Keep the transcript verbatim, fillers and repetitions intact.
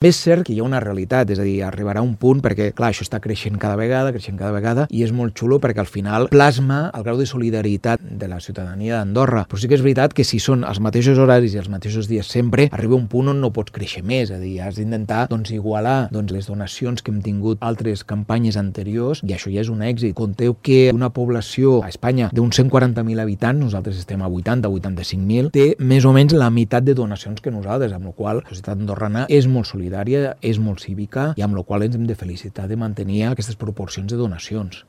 És cert que hi ha una realitat, és a dir, arribarà un punt perquè, clar, això està creixent cada vegada, creixent cada vegada, i és molt xulo perquè al final plasma el grau de solidaritat de la ciutadania d'Andorra. Però sí que és veritat que si són els mateixos horaris i els mateixos dies sempre, arriba un punt on no pots créixer més, és a dir, has d'intentar doncs, igualar doncs, les donacions que hem tingut altres campanyes anteriors, i això ja és un èxit. Conteu que una població a Espanya d'uns cent quaranta mil habitants, nosaltres estem a vuitanta, vuitanta-cinc mil, té més o menys la meitat de donacions que nosaltres, amb la qual la societat andorrana és molt solidària, és molt cívica i amb la qual ens hem de felicitar de mantenir aquestes proporcions de donacions.